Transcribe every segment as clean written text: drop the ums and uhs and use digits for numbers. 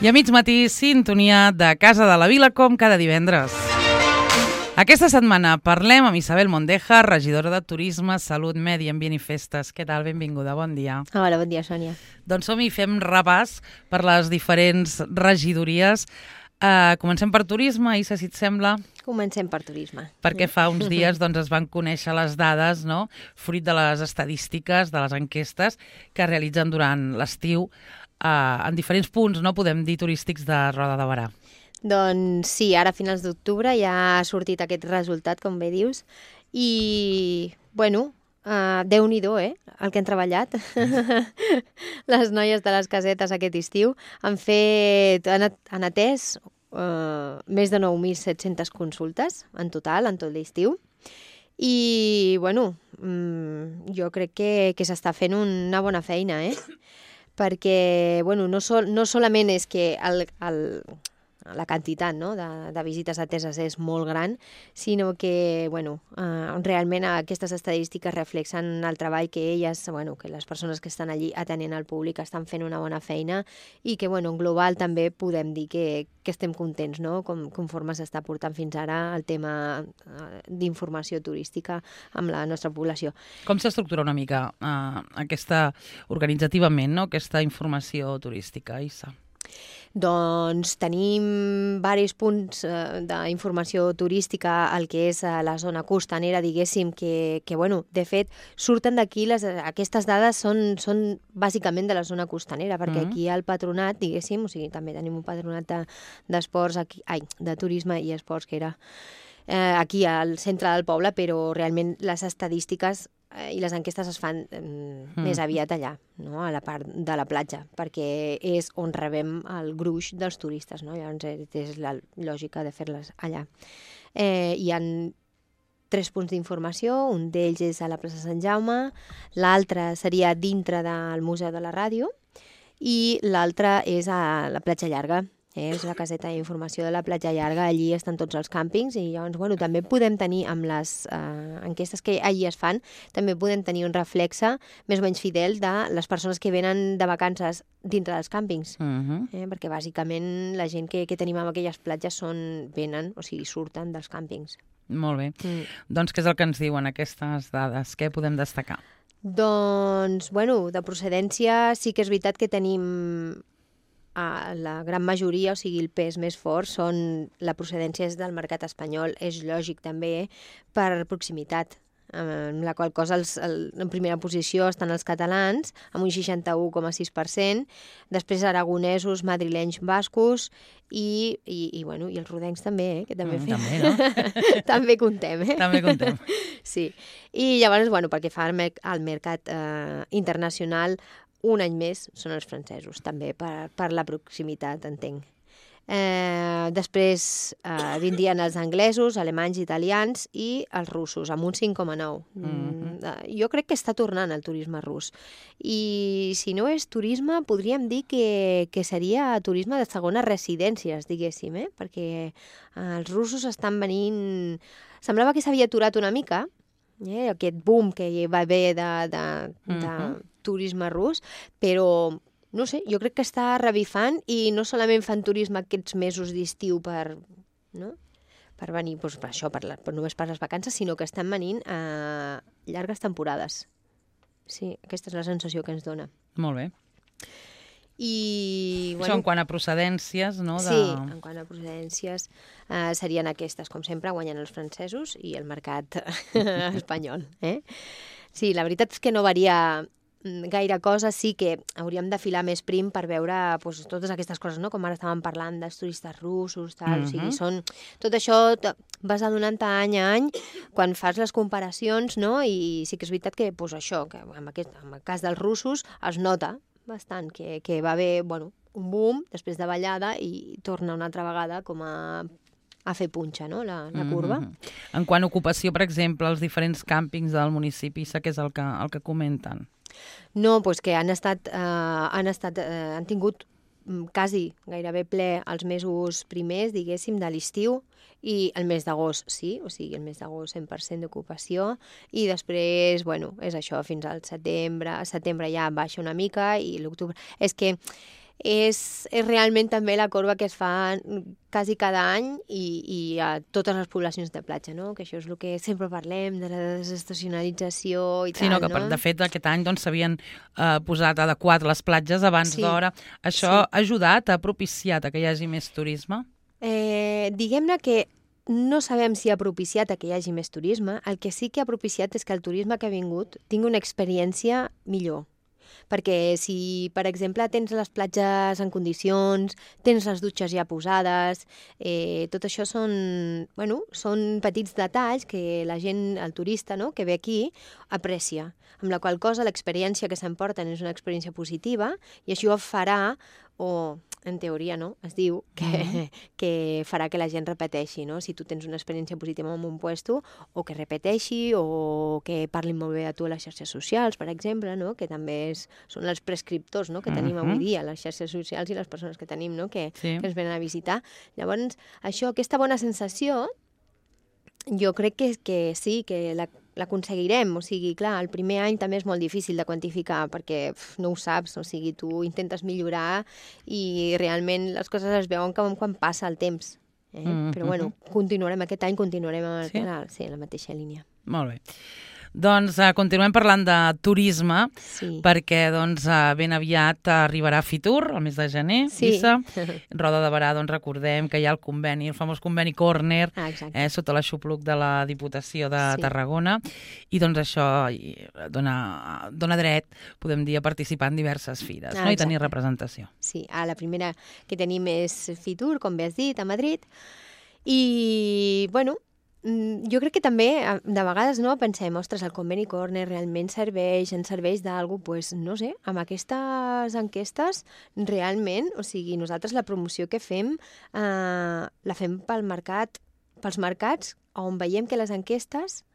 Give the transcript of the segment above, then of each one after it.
I a mig matí, sintonia de Casa de la Vila, com cada divendres. Aquesta setmana parlem amb Isabel Mondeja, regidora de Turisme, Salut, Medi Ambient i Festes. Què tal? Benvinguda, bon dia. Hola, bon dia, Sònia. Doncs som-hi, fem repàs per les diferents regidories. Comencem per Turisme, Isa, si et sembla. Comencem per Turisme. Perquè fa uns dies es van conèixer les dades, no? Fruit de les estadístiques, de les enquestes que es realitzen durant l'estiu en diferents punts, no podem dir, turístics de Roda de Berà. Doncs sí, ara a finals d'octubre ja ha sortit aquest resultat, com bé dius, i, bueno, Déu-n'hi-do, el que han treballat. Les noies de les casetes aquest estiu han atès més de 9.700 consultes en total, en tot l'estiu. I, bueno, jo crec que s'està fent una bona feina, perquè, bueno, no solament és que la quantitat, no, de visites ateses és molt gran, sinó que, bueno, realment aquestes estadístiques reflexen el treball que elles, bueno, que les persones que estan allí atenent al públic estan fent una bona feina i que, bueno, en global també podem dir que estem contents, no?, conforme s'està portant fins ara el tema d'informació turística amb la nostra població. Com s'estructura una mica organitzativament, no?, aquesta informació turística, Isa? Doncs tenim diversos punts d'informació turística al que és la zona costanera, diguéssim, que bueno, de fet, surten d'aquí, aquestes dades són bàsicament de la zona costanera, perquè aquí al patronat, diguéssim, o sigui, també tenim un patronat d'esports, de turisme i esports, que era aquí al centre del poble, però realment les estadístiques i les enquestes es fan més aviat allà, no?, a la part de la platja, perquè és on rebem el gruix dels turistes, no? Llavors és la lògica de fer-les allà. Hi ha 3 punts d'informació, un d'ells és a la plaça Sant Jaume, l'altre seria dintre del Museu de la Ràdio i l'altre és a la platja Llarga. És la caseta d'informació de la platja Llarga, allí estan tots els càmpings i llavors, bueno, també podem tenir, amb les enquestes que allí es fan, també podem tenir un reflexe més o menys fidel de les persones que venen de vacances dintre dels càmpings, perquè bàsicament la gent que tenim en aquelles platges venen, o sigui, surten dels càmpings. Molt bé. Doncs què és el que ens diuen aquestes dades? Què podem destacar? Doncs, bueno, de procedència sí que és veritat que tenim la gran majoria, o sigui, el pes més fort, la procedència és del mercat espanyol, és lògic també per proximitat, amb la qual cosa en primera posició estan els catalans, amb un 61,6%, després aragonesos, madrilenys, bascos i els rodencs també, que també fem. També, no? També contem, També contem. Sí. I llavors, bueno, perquè fa al mercat internacional, un any més són els francesos, també per la proximitat, entenc. Després vindrien els anglesos, alemanys, italians i els russos, amb un 5,9. Jo crec que està tornant el turisme rus. I si no és turisme, podríem dir que seria turisme de segones residències, diguéssim, perquè els russos estan venint... Semblava que s'havia aturat una mica, aquest boom que hi va haver de turisme rus, però, no sé, jo crec que està revifant i no solament fan turisme aquests mesos d'estiu per venir, doncs, per això, només per les vacances, sinó que estan venint a llargues temporades. Sí, aquesta és la sensació que ens dona. Molt bé. I, això en quant a procedències, no? Sí, en quant a procedències serien aquestes, com sempre, guanyen els francesos i el mercat espanyol. Sí, la veritat és que no varia gaire cosa, sí que hauríem de filar més prim per veure totes aquestes coses, no? Com ara estàvem parlant dels turistes russos, tal, o sigui, tot això vas adonant any a any quan fas les comparacions, no? I sí que és veritat que, això, que en el cas dels russos es nota bastant que va haver, un boom després de ballada i torna una altra vegada com a fer punxa, no?, la curva. En quant a ocupació, per exemple, els diferents càmpings del municipi, què és el que comenten? No, doncs que han tingut quasi gairebé ple els mesos primers, diguéssim, de l'estiu, i el mes d'agost, sí, o sigui, el mes d'agost 100% d'ocupació, i després, és això, fins al setembre ja baixa una mica, i l'octubre... És que és realment també la corba que es fa quasi cada any i a totes les poblacions de platja, no? Que això és el que sempre parlem, de la desestacionalització i tal, no? Que de fet aquest any s'havien posat adequat les platges abans d'hora. Això ha ajudat, ha propiciat que hi hagi més turisme? Diguem-ne que no sabem si ha propiciat que hi hagi més turisme. El que sí que ha propiciat és que el turisme que ha vingut tingui una experiència millor. Perquè si, per exemple, tens les platges en condicions, tens les dutxes ja posades, tot això són petits detalls que la gent, el turista, no?, que ve aquí, aprecia. Amb la qual cosa l'experiència que s'emporten és una experiència positiva i això farà, o en teoria, no?, es diu que farà que la gent repeteixi, no? Si tu tens una experiència positiva en un puesto, o que repeteixi, o que parlin molt bé a tu a les xarxes socials, per exemple, no?, que també són els prescriptors, no?, que tenim avui dia, les xarxes socials i les persones que tenim, no?, que ens venen a visitar. Llavors, aquesta bona sensació, jo crec que sí, que l'aconseguirem. O sigui, clar, el primer any també és molt difícil de quantificar perquè no ho saps, o sigui, tu intentes millorar i realment les coses es veuen quan passa el temps. Però bueno, aquest any continuarem en la mateixa línia. Molt bé. Doncs continuem parlant de turisme, perquè ben aviat arribarà Fitur, el mes de gener, Lisa. Roda de Berà, recordem que hi ha el conveni, el famós conveni Corner, sota l'aixopluc de la Diputació de Tarragona, i doncs això dona dret, podem dir, a participar en diverses fires, no?, i tenir representació. Sí, la primera que tenim és Fitur, com bé has dit, a Madrid, i, bueno, jo crec que també, de vegades, no, pensem, ostres, el conveni Corner realment ens serveix d'alguna cosa, no sé, amb aquestes enquestes, realment, o sigui, nosaltres la promoció que fem, la fem pels mercats on veiem que les enquestes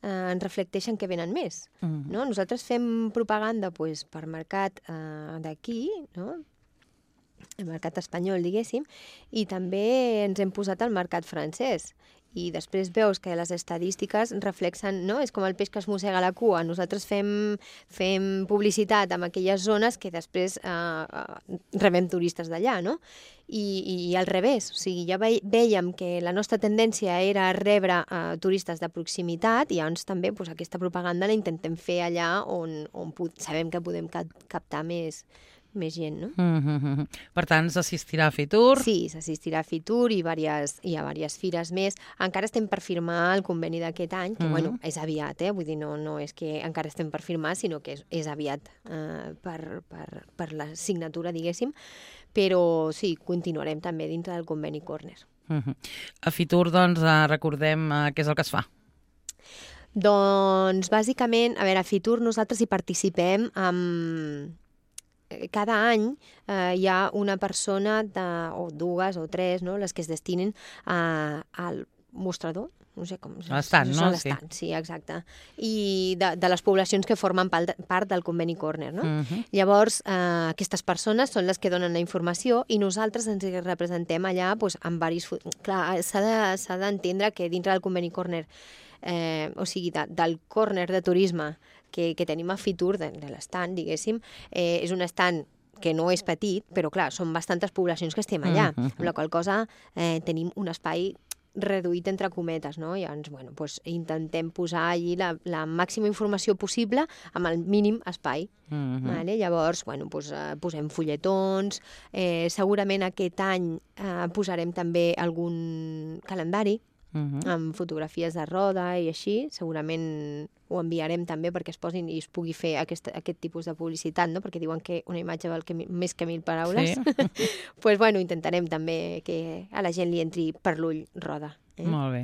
ens reflecteixen que venen més, no? Nosaltres fem propaganda per mercat d'aquí, no?, el mercat espanyol, diguéssim, i també ens hem posat al mercat francès. I després veus que les estadístiques reflexen, no? És com el peix que es mossega la cua. Nosaltres fem publicitat en aquelles zones que després rebem turistes d'allà, no? I al revés, o sigui, ja vèiem que la nostra tendència era rebre turistes de proximitat i llavors també aquesta propaganda la intentem fer allà on sabem que podem captar més gent, no? Per tant, s'assistirà a Fitur? Sí, s'assistirà a Fitur i a diverses fires més. Encara estem per firmar el conveni d'aquest any, que, bueno, és aviat, vull dir, no és que encara estem per firmar, sinó que és aviat per la signatura, diguéssim, però sí, continuarem també dintre del conveni Corner. A Fitur, doncs, recordem què és el que es fa. Doncs, bàsicament, a veure, a Fitur nosaltres hi participem amb... Cada any hi ha una persona, o dues o tres, no?, les que es destinen al mostrador, no sé com... L'estant, no? Sí, exacte. I de les poblacions que formen part del conveni Corner, no? Llavors, aquestes persones són les que donen la informació i nosaltres ens representem allà amb diversos... Clar, s'ha d'entendre que dintre del conveni Corner, o sigui, del Corner de turisme que tenim a Fitur, de l'estand, diguéssim, és un estand que no és petit, però clar, són bastantes poblacions que estem allà, amb la qual cosa tenim un espai reduït entre cometes, no? I llavors, bueno, intentem posar allí la màxima informació possible amb el mínim espai. Vale? Llavors, bueno, posem fulletons, segurament aquest any posarem també algun calendari amb fotografies de roda i així, segurament ho enviarem també perquè es posin i es pugui fer aquest tipus de publicitat, no? Perquè diuen que una imatge val més que 1000 paraules. Doncs, bueno, intentarem també que a la gent li entri per l'ull roda. Molt bé.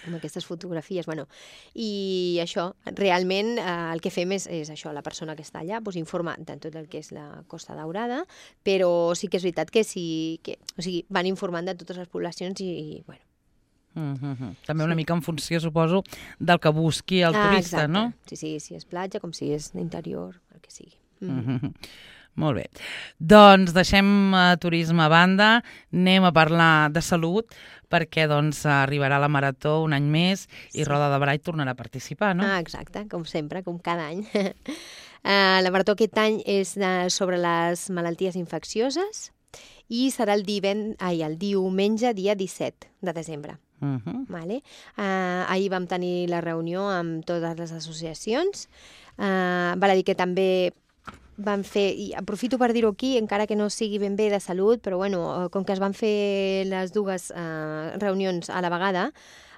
Amb aquestes fotografies, bueno. I això, realment el que fem és això, la persona que està allà informa de tot el que és la Costa Daurada, però sí que és veritat que van informant de totes les poblacions i bueno, també una mica en funció, suposo, del que busqui el turista, no? Sí, si és platja, com si és interior, el que sigui. Molt bé. Doncs deixem turisme a banda, anem a parlar de salut, perquè doncs arribarà la Marató un any més i Roda de Berà hi tornarà a participar, no? Exacte, com sempre, com cada any. La marató aquest any és sobre les malalties infeccioses i serà el diumenge, dia 17 de desembre. Vale? Ahir vam tenir la reunió amb totes les associacions. Val a dir que també van fer, i aprofito per dir-ho aquí, encara que no sigui ben bé de salut, però bueno, com que es van fer les dues reunions a la vegada,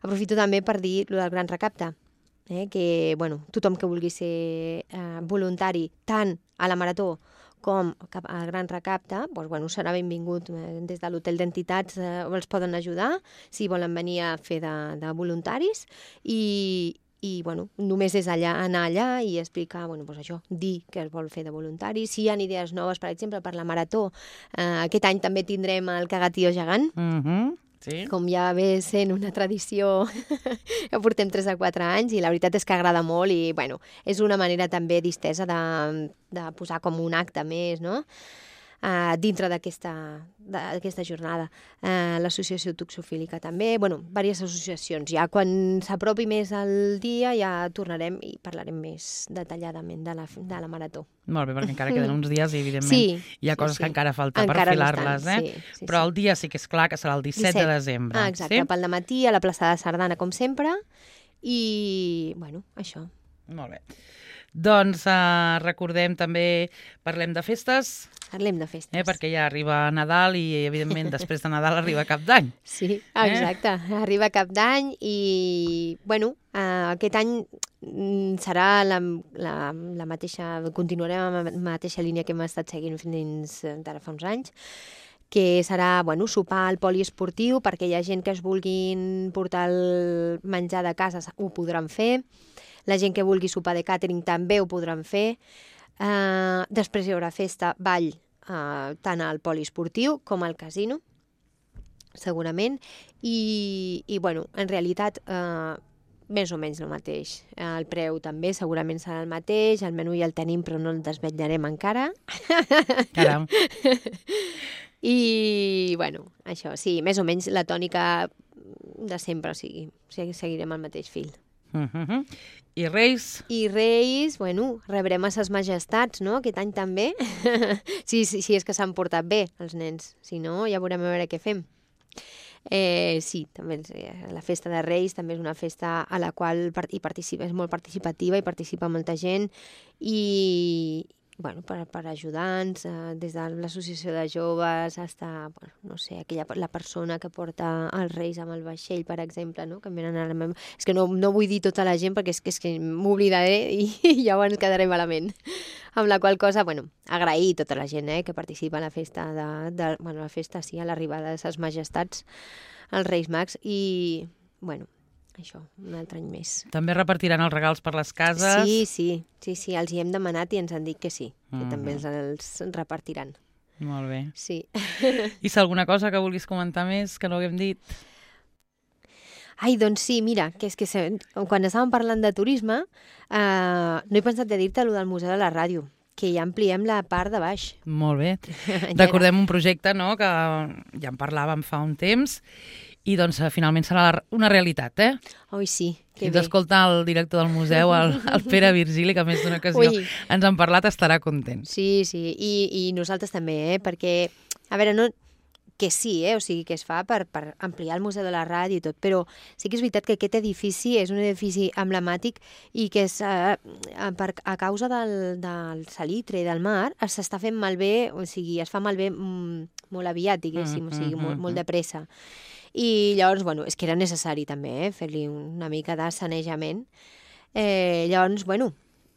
aprofito també per dir el del Gran Recapte. Que bueno, tothom que vulgui ser voluntari tant a la marató com al Gran Recapte, doncs, bueno, serà benvingut. Des de l'hotel d'entitats els poden ajudar si volen venir a fer de voluntaris i bueno, només és anar allà i explicar, bueno, doncs això, dir que es vol fer de voluntari. Si hi ha idees noves, per exemple, per la marató, aquest any també tindrem el cagatío gegant, sí. Com ja ve sent una tradició, ja portem 3 o 4 anys i la veritat és que agrada molt i bueno, és una manera també distesa de posar com un acte més, no? Dintre d'aquesta jornada. L'associació toxofílica també, bueno, diverses associacions. Ja quan s'apropi més el dia ja tornarem i parlarem més detalladament de la marató. Molt bé, perquè encara queden uns dies i evidentment hi ha coses que encara falta per filar-les, però el dia sí que és clar que serà el 17 de desembre. Exacte, pel dematí a la plaça de Sardana, com sempre, i bueno, això. Molt bé. Doncs recordem també, parlem de festes. Parlem de festes. Perquè ja arriba Nadal i, evidentment, després de Nadal arriba Cap d'Any. Sí, exacte. Arriba Cap d'Any i, bueno, aquest any serà la mateixa, continuarem amb la mateixa línia que hem estat seguint fins d'ara fa uns anys, que serà, bueno, sopar al poliesportiu, perquè hi ha gent que es vulguin portar el menjar de casa, ho podran fer. La gent que vulgui sopar de càtering també ho podran fer. Després hi haurà festa, ball, tant al poliesportiu com al casino, segurament. I bueno, en realitat, més o menys el mateix. El preu també segurament serà el mateix, el menú ja el tenim però no el desvetllarem encara. Caram. I, bueno, això, sí, més o menys la tònica de sempre, o sigui, seguirem el mateix fil. I Reis? I Reis, bueno, rebrem a ses majestats, no?, aquest any també. Sí, és que s'han portat bé, els nens. Si no, ja veurem a veure què fem. Sí, també la festa de Reis també és una festa a la qual és molt participativa i participa molta gent i, bueno, per ajudar-nos, des de l'associació de joves fins a, bueno, no sé, la persona que porta els Reis amb el vaixell, per exemple, no? Que em venen a la meva... És que no vull dir tota la gent perquè és que m'oblidaré i llavors quedaré malament. Amb la qual cosa, bueno, agrair tota la gent que participa en la festa bueno, la festa, sí, a l'arribada de ses majestats, els Reis Mags, i, bueno, això, un altre any més. També repartiran els regals per les cases? Sí, els hi hem demanat i ens han dit que sí, que també els repartiran. Molt bé. Sí. I si alguna cosa que vulguis comentar més, que no haguem dit? Ai, doncs sí, mira, que és que quan estàvem parlant de turisme, no he pensat de dir-te allò del Museu de la Ràdio, que ja ampliem la part de baix. Molt bé. Recordem un projecte, no?, que ja en parlàvem fa un temps, i doncs finalment serà una realitat, Oi, sí, que bé. bé. D'escoltar el director del museu, el Pere Virgili, que a més d'una ocasió ens han parlat, estarà content. Sí, i nosaltres també, perquè, a veure, no... que sí, o sigui, que es fa per ampliar el Museu de la Ràdio i tot, però sí que és veritat que aquest edifici és un edifici emblemàtic i que a causa del salitre i del mar s'està fent malbé, o sigui, es fa malbé molt aviat, diguéssim, o sigui, molt de pressa. I llavors, bueno, és que era necessari també fer-li una mica de sanejament. Llavors, bueno,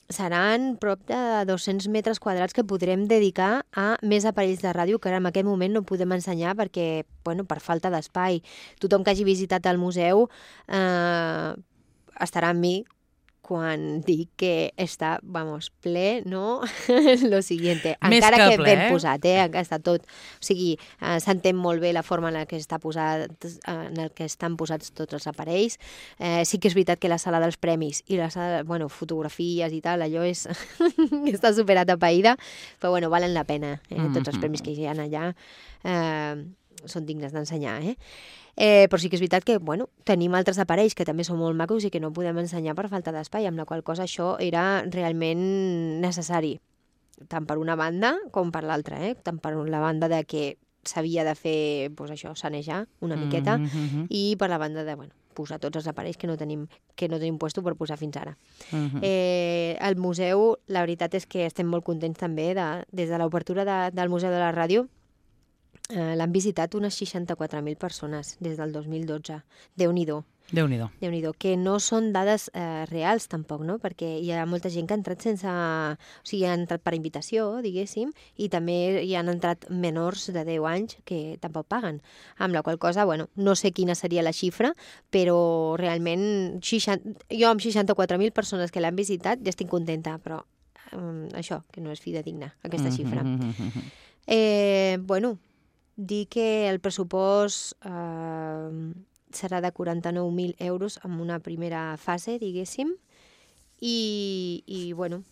seran prop de 200 metres quadrats que podrem dedicar a més aparells de ràdio que ara en aquest moment no podem ensenyar perquè, bueno, per falta d'espai. Tothom que hagi visitat el museu estarà amb mi quan dic que està, vamos, ple, no? Lo siguiente. Encara que ben posat, està tot. O sigui, s'entén molt bé la forma en la que està posat, en el que estan posats tots els aparells. Sí que és veritat que la sala dels premis i la sala, bueno, fotografies i tal, allò és... està superat a païda, però, bueno, valen la pena, tots els premis que hi ha allà. són dignes d'ensenyar, però sí que és veritat que, bueno, tenim altres aparells que també són molt macos i que no podem ensenyar per falta d'espai, amb la qual cosa això era realment necessari, tant per una banda com per l'altra, tant per la banda de que s'havia de fer, doncs això, sanejar una miqueta, i per la banda de, bueno, posar tots els aparells que no tenim puesto per posar fins ara. El museu, la veritat és que estem molt contents també, des de l'obertura del Museu de la Ràdio, l'han visitat unes 64.000 persones des del 2012. Déu-n'hi-do. Déu-n'hi-do, que no són dades reals tampoc, no? Perquè hi ha molta gent que ha entrat o sigui, ha entrat per invitació, diguéssim, i també hi han entrat menors de 10 anys que tampoc paguen. Amb la qual cosa, bueno, no sé quina seria la xifra, però realment jo amb 64.000 persones que l'han visitat ja estic contenta, però això, que no és fidedigna, aquesta xifra. Bueno, dir que el pressupost serà de 49.000 euros en una primera fase, diguéssim, i bueno,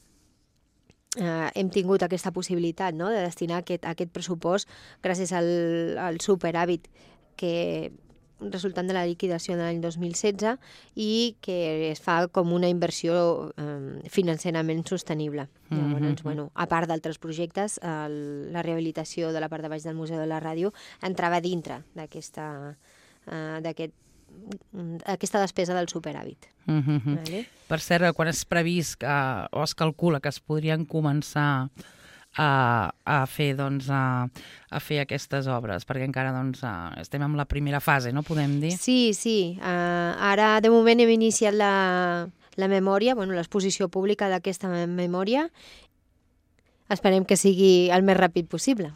hem tingut aquesta possibilitat, no?, de destinar aquest pressupost gràcies al superàvit que resultant de la liquidació de l'any 2016 i que es fa com una inversió financerament sostenible. Llavors, bueno, a part d'altres projectes, la rehabilitació de la part de baix del Museu de la Ràdio entrava dintre d'aquesta despesa del superàvit. Vale? Per cert, quan és previst o es calcula que es podrien començar a fer aquestes obres, perquè encara estem en la primera fase, no podem dir? Sí. Ara, de moment, hem iniciat la memòria, l'exposició pública d'aquesta memòria. Esperem que sigui el més ràpid possible.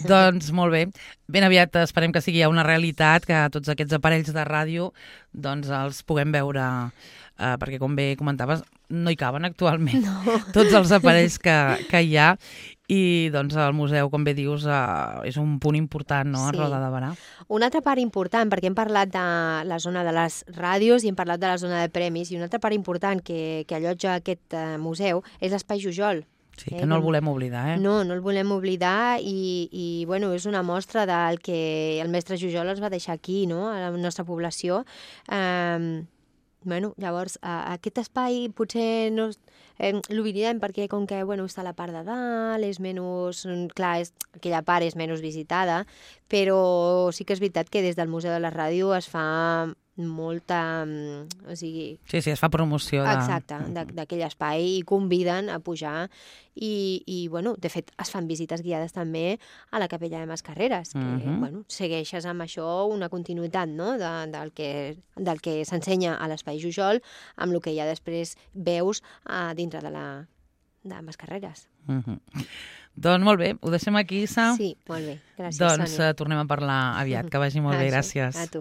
Doncs molt bé. Ben aviat esperem que sigui ja una realitat, que tots aquests aparells de ràdio els puguem veure, perquè com bé comentaves, no hi caben actualment tots els aparells que hi ha, i el museu, com bé dius, és un punt important, no?, a Roda de Berà. Una altra part important, perquè hem parlat de la zona de les ràdios i hem parlat de la zona de premis, i una altra part important que allotja aquest museu és l'Espai Jujol. Sí, que no el volem oblidar, No el volem oblidar, i bueno, és una mostra del que el mestre Jujol ens va deixar aquí, no?, a la nostra població. Bueno, llavors, aquest espai potser no l'oblidem perquè com que està a la part de dalt, és menys... Clar, aquella part és menys visitada, però sí que és veritat que des del Museu de la Ràdio es fa molta... O sigui... Sí, es fa promoció Exacte, d'aquell espai, i conviden a pujar, i bueno, de fet, es fan visites guiades també a la Capella de Mascarreres, que, bueno, segueixes amb això una continuïtat, no?, del que s'ensenya a l'Espai Jujol, amb el que ja després veus dintre de Mascarreres. Doncs molt bé, ho deixem aquí, Isa. Sí, molt bé, gràcies, Sònia. Tornem a parlar aviat, que vagi molt bé, gràcies. A tu.